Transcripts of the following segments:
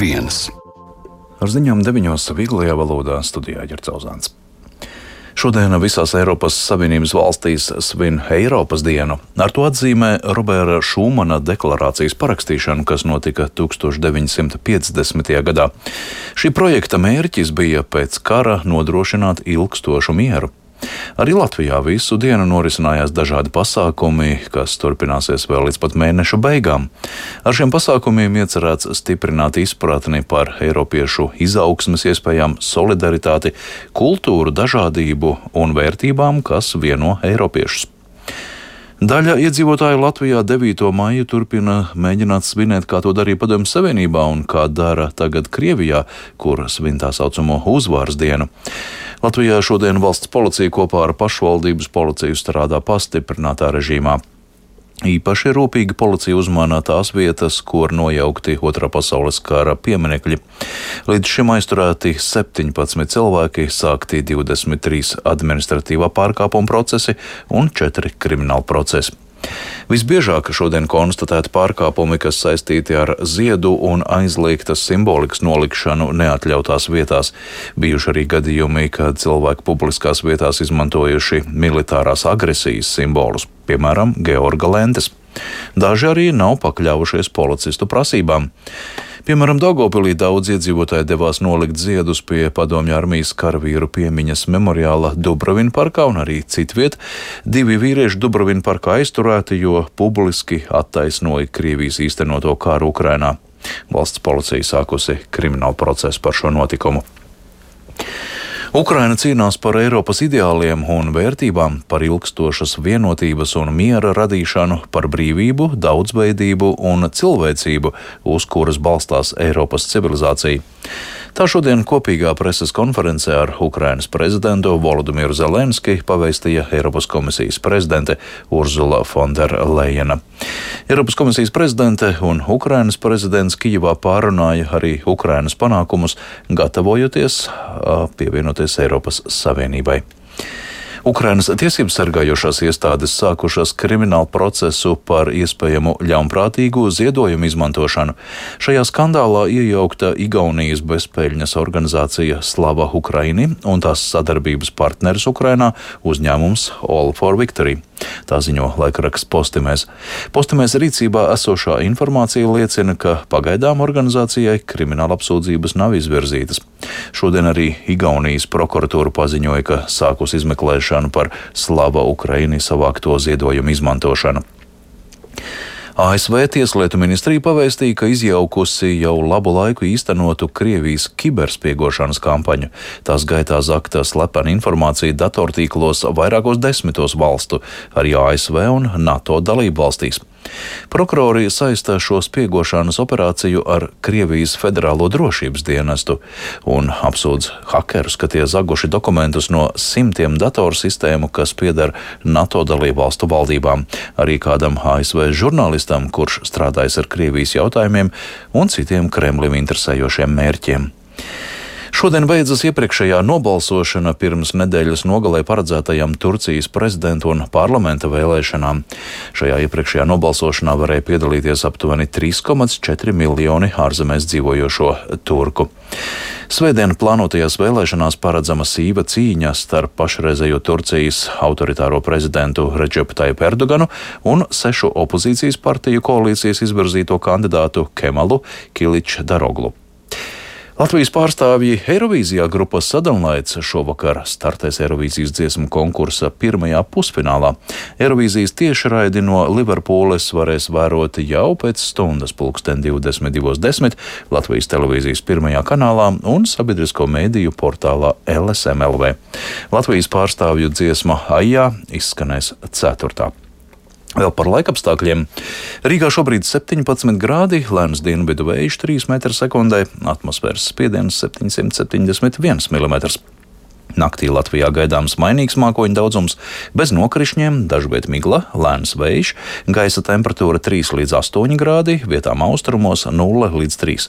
viens. Ar ziņām 9 viglajā valodā studijā Ģercauzāns. Šodien visās Eiropas Savienības valstīs svin Eiropas dienu. Ar to atzīmē Roberta Šumana deklarācijas parakstīšanu, kas notika 1950. gadā. Šī projekta mērķis bija pēc kara nodrošināt ilgstošu mieru. Arī Latvijā visu dienu norisinājās dažādi pasākumi, kas turpināsies vēl līdz pat mēneša beigām. Ar šiem pasākumiem iecerēts stiprināt izpratni par eiropiešu izaugsmes iespējām, solidaritāti, kultūru, dažādību un vērtībām, kas vieno eiropiešus. Daļa iedzīvotāju Latvijā 9. maiju turpina mēģināt svinēt, kā to darīja Padomju Savienībā un kā dara tagad Krievijā, kur svin tā saucamo uzvaras dienu. Latvijā šodien valsts policija kopā ar pašvaldības policiju strādā pastiprinātā režīmā. Īpaši rūpīgi policija uzmana tās vietas, kur nojaukti Otrā pasaules kara pieminekļi. Līdz šim aizturēti 17 cilvēki, sākti 23 administratīvā pārkāpuma procesi un 4 krimināla procesi. Visbiežāk šodien konstatēti pārkāpumi, kas saistīti ar ziedu un aizliegtas simbolikas nolikšanu neatļautās vietās. Bijuši arī gadījumi, kad cilvēki publiskās vietās izmantojuši militārās agresijas simbolus, piemēram, Georga lentes. Daži arī nav pakļāvušies policistu prasībām. Piemēram, Daugavpilī daudz iedzīvotāji devās nolikt ziedus pie Padomju armijas karavīru piemiņas memoriāla Dubrovina parkā un arī citviet. 2 vīrieši Dubrovina parkā aizturēti, jo publiski attaisnoja Krievijas īstenoto karu Ukrainā. Valsts policija sākusi kriminālu procesu par šo notikumu. Ukraina cīnās par Eiropas ideāliem un vērtībām, par ilgstošas vienotības un miera radīšanu, par brīvību, daudzveidību un cilvēcību, uz kuras balstās Eiropas civilizācija. Tā šodien kopīgā preses konferencē ar Ukrainas prezidentu Volodimiru Zelenski pavēstīja Eiropas komisijas prezidente Urzula von der Leyena. Eiropas komisijas prezidente un Ukrainas prezidents Kijevā pārunāja arī Ukrainas panākumus, gatavojoties pievienoties Eiropas Savienībai. Ukrainas tiesību sargājošās iestādes sākušas kriminālu procesu par iespējamu ļaunprātīgu ziedojumu izmantošanu. Šajā skandālā iejaukta Igaunijas bezpeļņas organizācija Slava Ukraini un tās sadarbības partneris Ukrainā uzņēmums All for Victory. Tā ziņo laikraksts Postimēs. Postimēs rīcībā esošā informācija liecina, ka pagaidām organizācijai krimināla apsūdzības nav izvirzītas. Šodien arī Igaunijas prokuratūra paziņoja, ka sākus izmeklēšanu par Slava Ukraini savākto ziedojumu izmantošanu. ASV Tieslietu ministrija pavēstīja, ka izjaukusi jau labu laiku īstenotu Krievijas kiberspiegošanas kampaņu. Tās gaitā zakta slepena informācija datortīklos vairākos 10 valstu, arī ASV un NATO dalību valstīs. Prokurori saistā šo spiegošanas operāciju ar Krievijas federālo drošības dienestu un apsūdz hakerus, ka tie zaguši dokumentus no simtiem datorsistēmu, kas pieder NATO dalību valstu valdībām, arī kādam ASV žurnālistam, kurš strādājas ar Krievijas jautājumiem un citiem Kremlim interesējošiem mērķiem. Šodien beidzas iepriekšējā nobalsošana pirms nedēļas nogalē paredzētajām Turcijas prezidenta un parlamenta vēlēšanām. Šajā iepriekšējā nobalsošanā varēja piedalīties aptuveni 3,4 miljoni ārzemēs dzīvojošo turku. Svētdien plānotajās vēlēšanās paredzama sīva cīņa starp pašreizējo Turcijas autoritāro prezidentu Redžepu Tajipu Erdoganu un 6 opozīcijas partiju koalīcijas izvirzīto kandidātu Kemalu Kiličdaroglu. Latvijas pārstāvji Eirovīzijā grupas Sadonlaids šovakar startēs Eirovīzijas dziesmu konkursa pirmajā pusfinālā. Eirovīzijas tiešraidi no Liverpūles varēs vērot jau pēc stundas 22:10 Latvijas televīzijas pirmajā kanālā un sabiedrisko mēdīju portālā LSM.LV. Latvijas pārstāvju dziesma Aijā izskanēs 4. Vēl par laikapstākļiem. Rīgā šobrīd 17 grādi, lēns dienvidu vējš 3 m/sekundē, atmosfēras spiediens 771 mm. Naktī Latvijā gaidāms mainīgs mākoņu daudzums, bez nokrišņiem, dažviet migla, lēns vējš, gaisa temperatūra 3 līdz 8 grādi, vietām austrumos 0 līdz 3.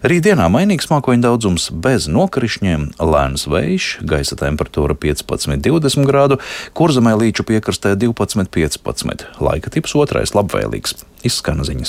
Rītdienā mainīgs mākoņu daudzums, bez nokrišņiem, lēns vējš, gaisa temperatūra 15–20 grādu, Kurzemē līču piekrastē 12–15. Laika tips 2 labvēlīgs. Izskan ziņas 1.